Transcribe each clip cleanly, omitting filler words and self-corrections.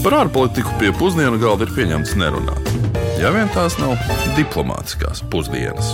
Par ārpolitiku pie pusdienu galda ir pieņemts nerunāt. Ja vien tās nav diplomātiskās pusdienas.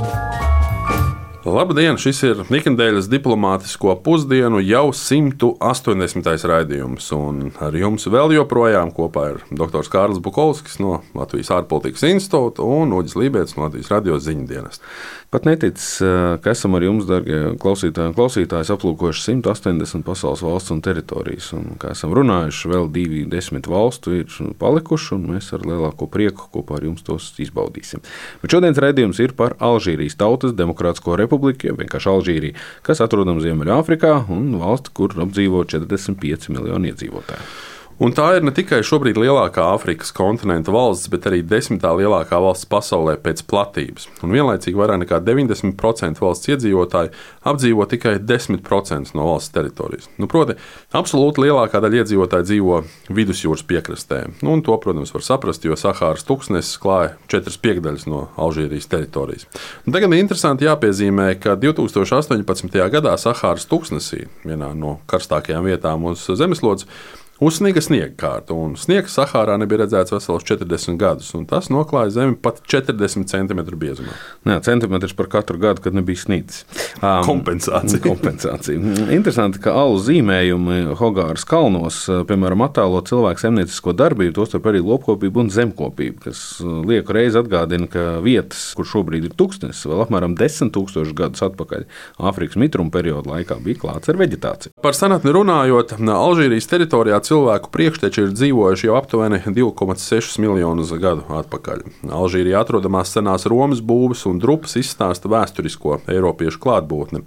Labdien! Šis ir ikdienas diplomātisko pusdienu jau 180. raidījums. Un ar jums vēl joprojām kopā ir dr. Kārlis Bukovskis no Latvijas ārpolitikas institūta un Uģis Lībēts no Latvijas radio ziņu dienesta. Pat neticis, ka esam ar jums, darbie klausītāji un klausītājas, aplūkojuši 180 pasaules valsts un teritorijas. Un, kā esam runājuši, vēl 20 valstu ir palikuši, un mēs ar lielāko prieku kopā ar jums tos izbaudīsim. Bet šodienas raidījums ir par Alžīrijas Tautas Demokrātisko republiku, vienkārši Alžīrija, kas atrodama Ziemeļāfrikā un valsti, kur apdzīvo 45 miljoni iedzīvotāju. Un tā ir ne tikai šobrīd lielākā Āfrikas kontinenta valsts, bet arī 10. lielākā valsts pasaulē pēc platības. Un vienlaicīgi vairāk nekā 90% valsts iedzīvotāji apdzīvo tikai 10% no valsts teritorijas. Proti, absolūti lielākā daļa iedzīvotāji dzīvo vidusjūras piekrastē. Un to, protams, var saprast, jo Sahāras tuksnesis klāja 4/5 no Alžīrijas teritorijas. Un tagad ir interesanti jāpiezīmē, ka 2018. gadā Sahāras tuksnesī, vienā no karstākajām vietām uz zemeslodes, uzsniga sniegkārta, un sniegs Sahārā nebija redzēts veselos 40 gadus, un tas noklāja zemi pat 40 cm biezumā. Jā, centimetrs par katru gadu, kad nebija snīcis. Kompensācija. Interesanti, ka alu zīmējumi Hogāras kalnos, piemēram, attēlo cilvēku saimniecisko darbību, tostarp arī lopkopību un zemkopību, kas lieku reizi atgādina, ka vietas, kur šobrīd ir tuksnesis, vēl apmēram 10 000 gadus atpakaļ Āfrikas mitruma perioda laikā bija klāts ar veģetāciju. Par senatni runājot, Alžīrijas teritorijā cilvēku priekšteči ir dzīvojuši jau aptuveni 2,6 miljonus gadu atpakaļ. Alžīrijā atrodamās senās Romas būves un drupas izstāsta vēsturisko eiropiešu klātbūtni.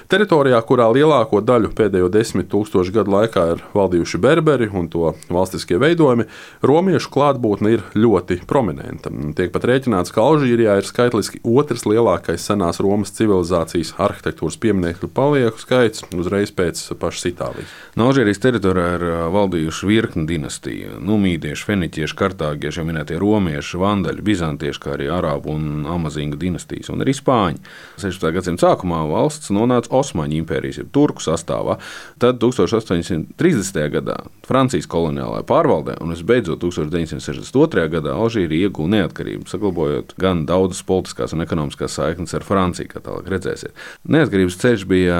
Teritorijā, kurā lielāko daļu pēdējo 10 000 gadu laikā ir valdījuši berberi un to valstiskie veidojumi, romiešu klātbūtne ir ļoti prominenta. Tiek pat rēķināts, ka Alžīrijā ir skaitliski otrs lielākais senās Romas civilizācijas arhitektūras pieminekļu palieku skaits uzreiz pēc pašas Itālijas. No Alžīrijas teritorijā ir valdījuši virkni dinastiju. Numīdieši, feniķieši, kartāgieši, jau minētie romieši, vandaļi, bizantieši, kā arī arābu un amazīņu dinastijas, un arī spāņi. 16. gadsimta sākumā valsts nonāca Osmaņu impērijas, jeb turku sastāvā. Tad 1830. gadā Francijas koloniālajā pārvaldē, un visbeidzot 1962. gadā Alžīrija ieguva neatkarību, saglabājot gan daudzas politiskās un ekonomiskās saiknes ar Franciju, kā tālāk redzēsiet. Neatkarības ceļš bija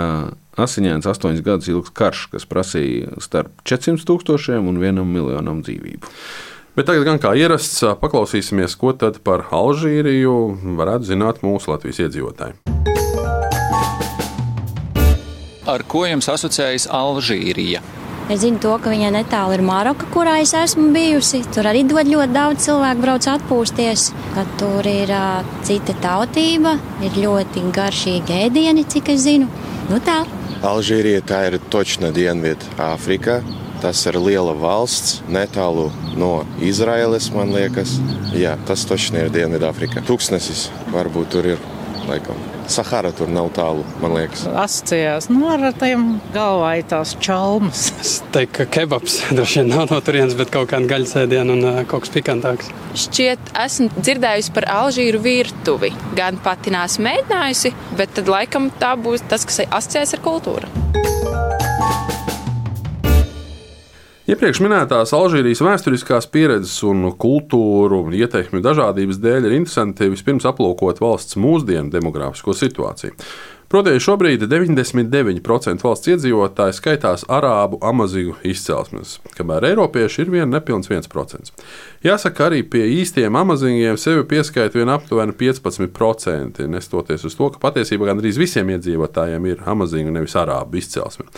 asiņains 8 gadus ilgs karš, kas prasīja starp 400 000 un 1 miljonam dzīvību. Bet tagad gan kā ierasts, paklausīsimies, ko tad par Alžīriju varētu zināt mūsu Latvijas iedzīvotāji. Ar ko jums asociējas Alžīrija? Es zinu to, ka viņai netālu ir Maroka, kurā es esmu bijusi. Tur arī ļoti daudz cilvēku brauc atpūsties. Tur ir cita tautība, ir ļoti garšīgi ēdieni, cik es zinu. Tā. Alžīrija tā ir točna Dienvidu Āfrikā. Tas ir liela valsts, netālu no Izraēlas, man liekas. Jā, tas točni ir Dienvidu Āfrikā. Tuksnesis varbūt tur ir, laikam. Sahara tur nav tālu, man liekas. Asociējās ar tiem galvaitās čalmas. Es teiktu, ka kebabs droši vien nav no turienes, bet kaut kāda gaļas ēdiena un kaut kas pikantāks. Šķiet, esmu dzirdējusi par Alžīru virtuvi. Gan pati neesmu mēģinājusi, bet tad laikam tā būs tas, kas asociējas ar kultūru. Iepriekš minētās Alžīrijas vēsturiskās pieredzes un kultūru ieteikmju dažādības dēļ ir interesanti vispirms aplūkot valsts mūsdienu demogrāfisko situāciju. Proti, šobrīd 99% valsts iedzīvotāji skaitās arābu amazīgu izcelsmes, kamēr eiropieši ir nepilns 1%. Jāsaka, arī pie īstiem amazīgiem sevi pieskaita vien aptuveni 15%, nestoties uz to, ka patiesībā gandrīz visiem iedzīvotājiem ir amazīga nevis arābu izcelsme.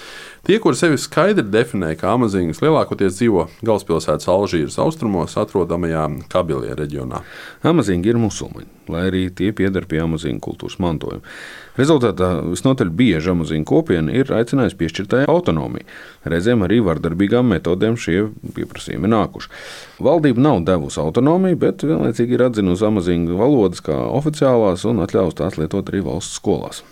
Tie, kuri sevi skaidri definē kā amazīgas, lielākoties dzīvo galvaspilsētas Alžīras austrumos atrodamajā Kabilie reģionā. Amazīgi ir musulmaņi, lai arī tie pieder pie amazīgu kultūras mantojuma. Rezultātā visnotaļ bieži amazīgu kopiena ir aicinājusi piešķirtai autonomiju. Reizēm arī vardarbīgām metodēm šie pieprasījumi nākuši. Valdība nav devusi autonomiju, bet vienlaicīgi ir atzinusi amazīgu valodas kā oficiālās un atļaus tās lietot arī valsts skolās.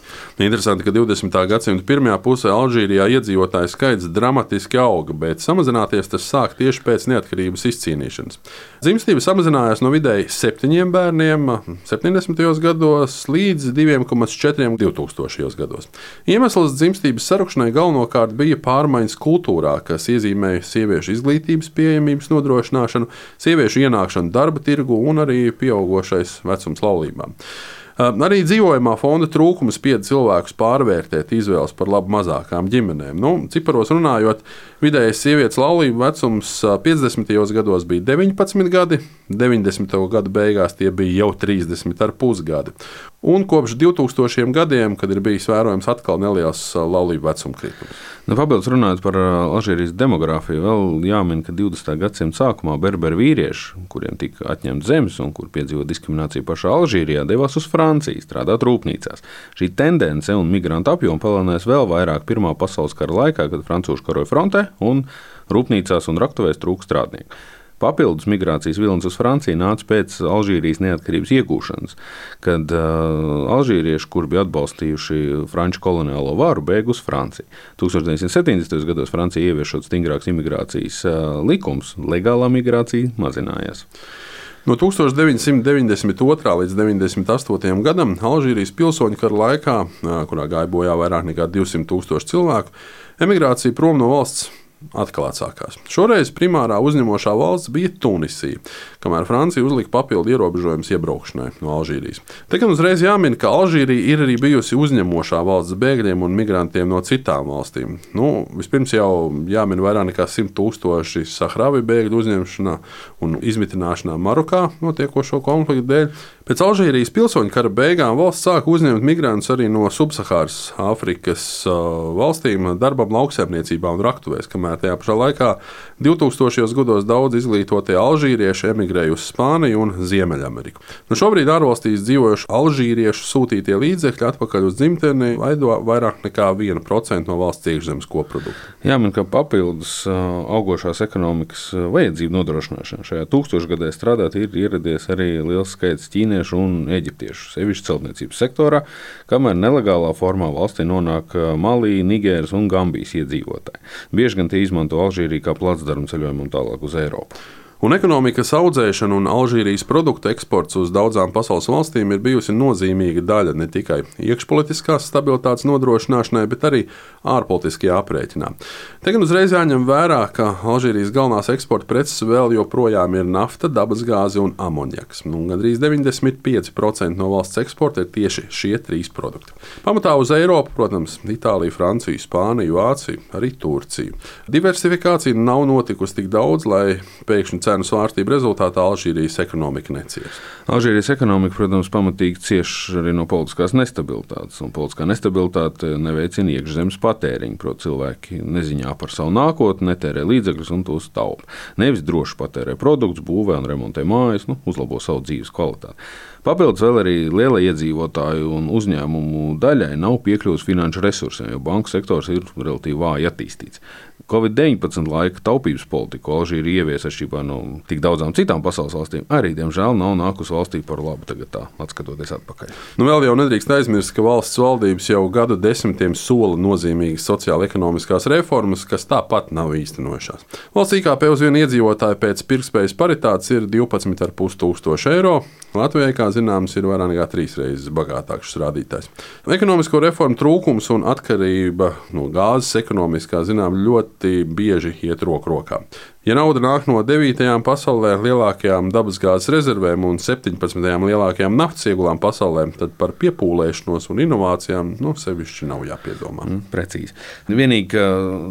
Interesanti, ka 20. gadsimta pirmajā pusē Alžīrijā iedzīvotāju skaits dramatiski auga, bet samazināties tas sāk tieši pēc neatkarības izcīnīšanas. Dzimstība samazinājās no vidēji 7 bērniem 70. gados līdz 2,4 2000. gados. Iemesls dzimstības sarukšanai galvenokārt bija pārmaiņas kultūrā, kas iezīmēja sieviešu izglītības pieejamības nodrošināšanu, sieviešu ienākšanu darba tirgu un arī pieaugošais vecums laulībām. Arī dzīvojamā fonda trūkums spied cilvēkus pārvērtēt izvēles par labu mazākām ģimenēm. Ciparos runājot, vidējais sievietes laulību vecums 50. gados bija 19 gadi, 90. gadu beigās tie bija jau 30,5 gadi. Un kopš 2000 gadiem, kad ir bijis vērojams atkal neliels laulību vecuma kritums. Papildus runājot par Alžīrijas demogrāfiju, vēl jāmin, ka 20. gadsimta sākumā berberu vīrieši, kuriem tika atņemts zemes un kur piedzīvo diskrimināciju pašā Alžīrijā, devās uz Franciju strādāt rūpnīcās. Šī tendence un migrantu apjoma palielinājās vēl vairāk Pirmā pasaules kara laikā, kad francūži karoja frontē un rūpnīcās un raktuvēs trūka strādnieku. Papildus migrācijas vilnis uz Franciju nāca pēc Alžīrijas neatkarības iegūšanas, kad alžīrieši, kuri bija atbalstījuši franču koloniālo varu, bēga uz Franciju. 1970. gados Francija ieviešot stingrāks imigrācijas likums, legālā migrācija mazinājās. No 1992. līdz 98. gadam Alžīrijas pilsoņu kara laikā, kurā gāja bojā vairāk nekā 200,000 cilvēku, emigrācija prom no valsts atkal atsākās. Šoreiz primārā uzņemošā valsts bija Tunisija, kamēr Francija uzlika papildu ierobežojumus iebraukšanai no Alžīrijas. Te gan uzreiz jāmin, ka Alžīrija ir arī bijusi uzņemošā valsts bēgļiem un migrantiem no citām valstīm. Vispirms jau jāmin vairāk nekā 100,000 Sahravi bēgļu uzņemšanā un izmitināšanā Marokā notiekošo konfliktu dēļ. Pēc Alžīrijas pilsoņu kara beigām valsts sāka uzņemt migrantus arī no subsahāras Āfrikas valstīm darbam lauksaimniecībā un raktuvēs, kamēr tajā pašā laikā 2000. gados daudz izglītotie alžīrieši emigrēja uz Spāniju un Ziemeļameriku. Šobrīd ārvalstīs dzīvojuši alžīriešu sūtītie līdzekļi atpakaļ uz dzimteni veido vairāk nekā 1% no valsts iekšzemes koprodukta. Jāmin, ka papildus augošās ekonomikas vajadzību nodrošināšanā šajā tūkstošgadē strādāt ir ieradies arī liels skaits ķīniešu un eģiptiešu, sevišķi celtniecības sektorā, kamēr nelegālā formā valstī nonāk Malī, Nigēras un Gambijas iedzīvotāji. Bieži gan tie izmanto Alžīriju kā placdarmu ceļojumu un tālāk uz Eiropu. Un ekonomikas audzēšana un Alžīrijas produktu eksports uz daudzām pasaules valstīm ir bijusi nozīmīga daļa ne tikai iekšpolitiskās stabilitātes nodrošināšanai, bet arī ārpolitiskajā aprēķinā. Te gan uzreiz jāņem vērā, ka Alžīrijas galvenās eksporta preces vēl joprojām ir nafta, dabasgāze un amonjaks. Gandrīz 95% no valsts eksporta ir tieši šie trīs produkti. Pamatā uz Eiropu, protams, Itāliju, Franciju, Spāniju, Vāciju, arī Turciju. Diversifikācija nav notikusi tik daudz, lai pēkšņi cenu svārstību rezultātā Alžīrijas ekonomika necieš. Alžīrijas ekonomika, protams, pamatīgi cieš arī no politiskās nestabilitātes, un politiskā nestabilitāte neveicina iekšzemes patēriņu, proti cilvēki neziņā par savu nākotni, netērē līdzekļus un tos taupa. Nevis droši patērē produktus, būvē un remontē mājas, uzlabo savu dzīves kvalitāti. Papildus vēl arī lielai iedzīvotāju un uzņēmumu daļai nav piekļuvis finanšu resursiem, jo banku sektors ir relatīvi vāji attīstīts. Covid-19 laika taupības politiku Alžīrija ievies atšķirībā no tik daudzām citām pasaules valstīm, arī, diemžēl, nav nākusi valstī par labu tagad tā, atskatoties atpakaļ. Vēl jau nedrīkst aizmirst, ka valsts valdības jau gadu desmitiem sola nozīmīgas sociāla-ekonomiskās reformas, kas tāpat nav īstenojušās. Valsts IKP uz vienu iedzīvotāju pēc pirktspējas paritātes ir 12,500 eiro. Latvijai, kā zināms, ir vairāk nekā 3 reizes bagātāks rādītājs. Ekonomisko reformu trūkums un atkarība no gāzes ekonomiskā ļoti bieži iet roku rokā. Ja nauda nāk no 9. pasaulē lielākajām dabasgāzes rezervēm un 17. lielākajām naftas iegulām pasaulē, tad par piepūlēšanos un inovācijām sevišķi nav jāpiedomā. Precīzi. Vienīgi, ka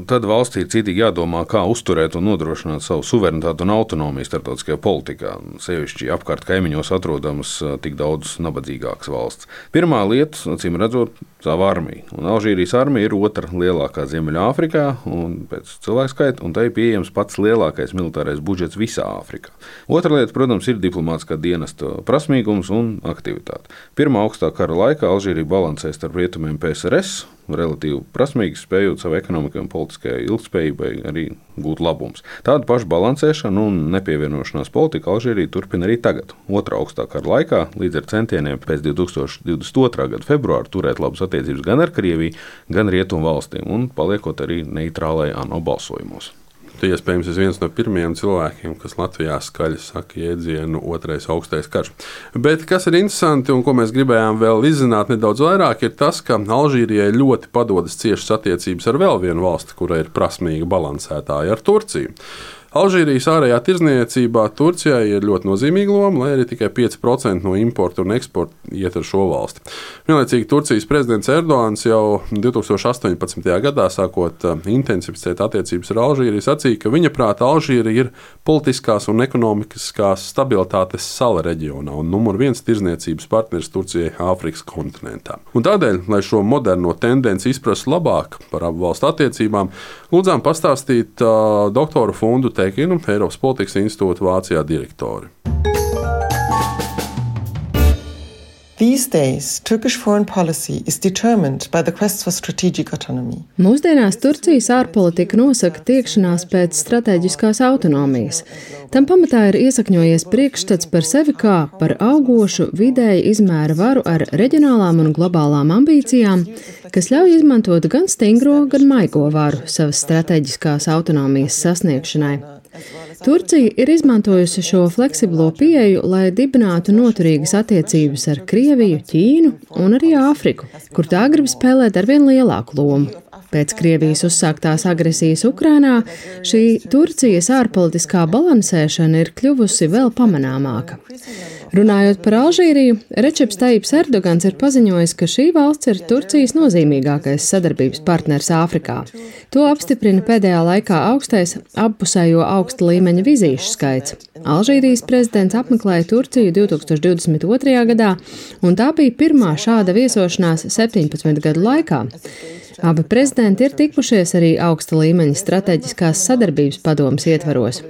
tad valstī ir citīgi jādomā, kā uzturēt un nodrošināt savu suverenitāti un autonomiju starptautiskajā politikā, sevišķi apkārt kaimiņos atrodamas tik daudz nabadzīgākas valsts. Pirmā lieta, acīm redzot, savu armiju. Un Alžīrijas armija ir otra lielākā Ziemeļāfrikā un pēc cilvēku skaita, un tai pieejams pats lielākais militārais budžets visā Āfrikā. Otra lieta, protams, ir diplomātiskā dienesta prasmīgums un aktivitāte. Pirmā augstā kara laikā Alžīrija balansēja starp rietumiem PSRS, relatīvi prasmīgi, spējot savu ekonomikai un politiskajai ilgspējībai arī gūt labumus. Tādu pašu balansēšanu un nepievienošanās politiku Alžīrija turpina arī tagad, otrā augstā kara laikā, līdz ar centieniem pēc 2022. gada februāra turēt labas attiecības gan ar Krieviju, gan Rietumu valstīm un paliekot arī neitrālai ANO balsojumos. Tu iespējams esi viens no pirmajiem cilvēkiem, kas Latvijā skaļi saka jēdzienu otrais augstais karš. Bet kas ir interesanti un ko mēs gribējām vēl izzināt nedaudz vairāk, ir tas, ka Alžīrijai ļoti padodas ciešas attiecības ar vēl vienu valsti, kura ir prasmīga balansētāja, ar Turciju. Alžīrijas ārējā tirdzniecībā Turcijai ir ļoti nozīmīga loma, lai arī tikai 5% no importa un eksporta iet ar šo valsti. Vienlaicīgi Turcijas prezidents Erdogans jau 2018. gadā, sākot intensificēt attiecības ar Alžīriju, sacīja, ka viņa prāta Alžīrija ir politiskās un ekonomiskās stabilitātes sala reģionā un numur 1 tirdzniecības partneris Turcijai Āfrikas kontinentā. Un tādēļ, lai šo moderno tendenci izprastu labāk par abu valstu attiecībām, lūdzām pastāstīt doktoru Fundu Tekinu, Eiropas politikas institūta Vācijā direktori. These days, Turkish foreign policy is determined by the quest for strategic autonomy. Mūsdienās Turcijas ārpolitika nosaka tiekšanās pēc strateģiskās autonomijas. Tam pamatā ir iesakņojies priekšstats par sevi kā par augošu vidēja izmēra varu ar reģionālām un globālām ambīcijām, kas ļauj izmantot gan stingro, gan maigo varu savas strateģiskās autonomijas sasniegšanai. Turcija ir izmantojusi šo fleksiblo pieeju, lai dibinātu noturīgas attiecības ar Krieviju, Ķīnu un arī Āfriku, kur tā grib spēlēt arvien lielāku lomu. Pēc Krievijas uzsāktās agresijas Ukrainā šī Turcijas ārpolitiskā balansēšana ir kļuvusi vēl pamanāmāka. Runājot par Alžīriju, Rečeps Tajips Erdogans ir paziņojis, ka šī valsts ir Turcijas nozīmīgākais sadarbības partners Āfrikā. To apstiprina pēdējā laikā augstais appusējo augsta līmeņa vizīšu skaits. Alžīrijas prezidents apmeklēja Turciju 2022. gadā, un tā bija pirmā šāda viesošanās 17 gadu laikā. Abi prezidenti ir tikušies arī augsta līmeņa strateģiskās sadarbības padomes ietvaros.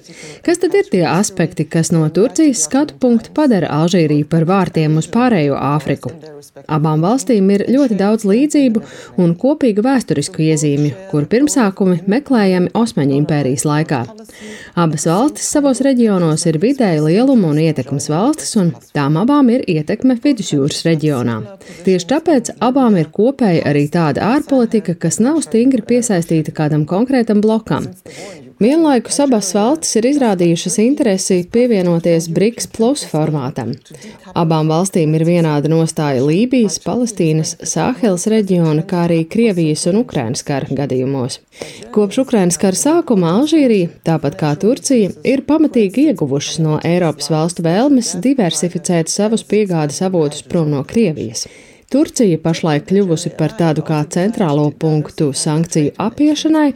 Kas tad ir tie aspekti, kas no Turcijas skatu punkta padara Alžīriju par vārtiem uz pārējo Āfriku? Abām valstīm ir ļoti daudz līdzību un kopīgu vēsturisku iezīmju, kuru pirmsākumi meklējami Osmaņu impērijas laikā. Abas valstis savos reģionos ir vidēja lieluma un ietekmes valstis, un tām abām ir ietekme Vidusjūras reģionā. Tieši tāpēc abām ir kopēja arī tāda ārpolitika, kas nav stingri piesaistīta kādam konkrētam blokam. Vienlaikus abas valstis ir izrādījušas interesi pievienoties BRICS plus formātam. Abām valstīm ir vienāda nostāja Lībijas, Palestīnas, Sāheles reģiona, kā arī Krievijas un Ukrainas kara gadījumos. Kopš Ukrainas kara sākuma Alžīrija, tāpat kā Turcija, ir pamatīgi ieguvušas no Eiropas valstu vēlmes diversificēt savus piegādes avotus prom no Krievijas. Turcija pašlaik kļuvusi par tādu kā centrālo punktu sankciju apiešanai,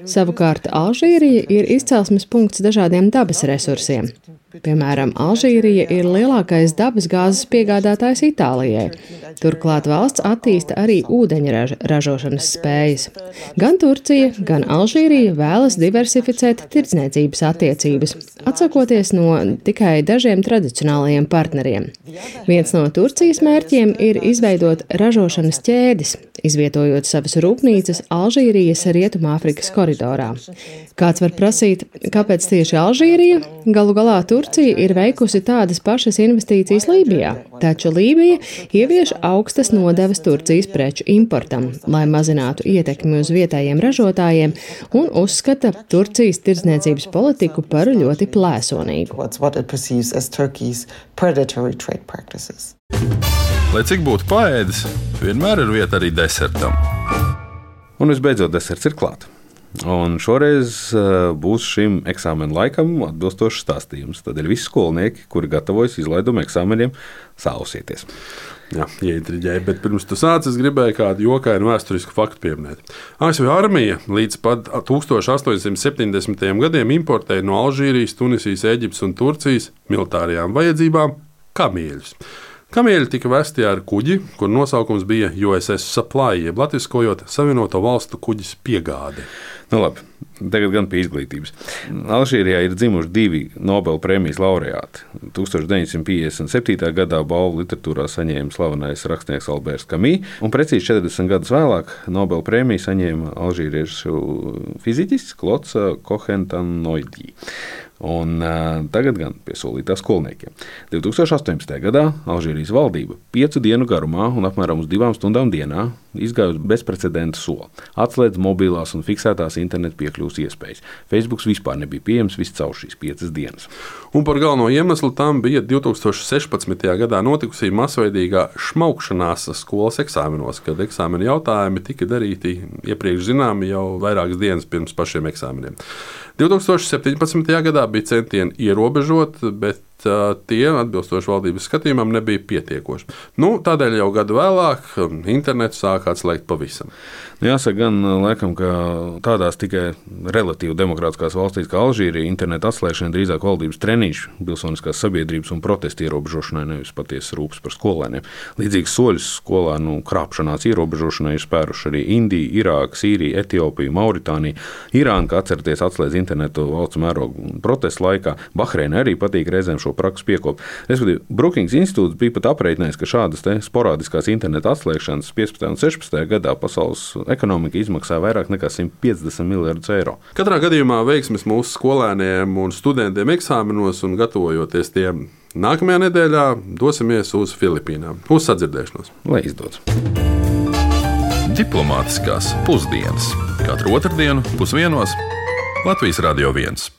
savukārt Alžīrija ir izcelsmes punkts dažādiem dabas resursiem. Piemēram, Alžīrija ir lielākais dabas gāzes piegādātājs Itālijai. Turklāt valsts attīsta arī ūdeņraža ražošanas spējas. Gan Turcija, gan Alžīrija vēlas diversificēt tirdzniecības attiecības, atsakoties no tikai dažiem tradicionālajiem partneriem. Viens no Turcijas mērķiem ir izveidot ražošanas ķēdes, izvietojot savas rūpnīcas Alžīrijas Rietumāfrikas koridorā. Kāds var prasīt, kāpēc tieši Alžīrija? Galu galā Turcija ir veikusi tādas pašas investīcijas Lībijā, taču Lībija ievieš augstas nodevas Turcijas preču importam, lai mazinātu ietekmi uz vietējiem ražotājiem un uzskata Turcijas tirdzniecības politiku par ļoti plēsonīgu. Lai cik būtu paēdis, vienmēr ir vieta arī desertam. Un visbeidzot, deserts ir klāt. Un šoreiz būs šim eksāmena laikam atbilstošs stāstījums. Tad ir visi skolnieki, kuri gatavojas izlaiduma eksāmeniem, sausieties. Jā, ieintriģēja, bet pirms tu sāc, es gribēju kādu jokainu vēsturisku faktu pieminēt. ASV armija līdz pat 1870. gadiem importēja no Alžīrijas, Tunisijas, Eģiptes un Turcijas militārajām vajadzībām kamieļus. Kamieļi tika vesti ar kuģi, kur nosaukums bija USS Supply, jeb latviskojot Savienoto valstu kuģis piegāde. Nu labi, tagad gan pie izglītības. Alžīrijā ir dzimuši 2 Nobela prēmijas laureāti. 1957. gadā balvu literatūrā saņēma slavenais rakstnieks Alberts Camus, un precīzi 40 gadus vēlāk Nobela prēmiju saņēma alžīriešu fiziķis Klods Kohentanoidī. Un tagad gan pie solītā skolniekiem. 2018. gadā Alžīrijas valdība 5 dienu garumā un apmēram uz 2 stundām dienā izgāja uz bezprecedenta soli. Atslēdz mobilās un fiksētās internetu piekļuves iespējas. Facebook vispār nebija pieejams viscaur šīs 5 dienas. Un par galveno iemeslu tam bija 2016. gadā notikusī masveidīgā šmaukšanās skolas eksāmenos, kad eksāmena jautājumi tika darīti iepriekš zināmi jau vairākas dienas pirms pašiem eksāmeniem. 2017. gadā bija centieni ierobežot, bet tie, atbilstoši valdības skatījumam, nebija pietiekoši. Tādēļ jau gadu vēlāk internetu sāka atslēgt pavisam. Jāsaka gan, laikam, ka tādās tikai relatīvi demokrātiskās valstīs kā Alžīrija internetu atslēgšana drīzāk valdības treniņš pilsoniskās sabiedrības un protestu ierobežošanai, nevis patiesas rūpes par skolēniem. Līdzīgs soļus skolēnu krāpšanās ierobežošanai ir spēruši arī Indija, Irāka, Sīrija, Etiopija, Mauritānija, Irāna, kā atceraties, atslēdz internetu valsts mērogu protestu laikā. Bahreina arī patīk reizēm šo praksu piekopt. Respektīvi, Brookings institūts bija pat aprēķinājis, ka šādas sporādiskās interneta atslēgšanas 15. un 16. gadā pasaules ekonomika izmaksā vairāk nekā 150 miljardus eiro. Katrā gadījumā veiksmes mūsu skolēniem un studentiem eksāmenos un gatavojoties tiem nākamajā nedēļā dosimies uz Filipīnām. Uz sadzirdēšanos. Lai izdodas. Diplomātiskās pusdienas. Katru otrdienu 12:00 Latvijas Radio 1.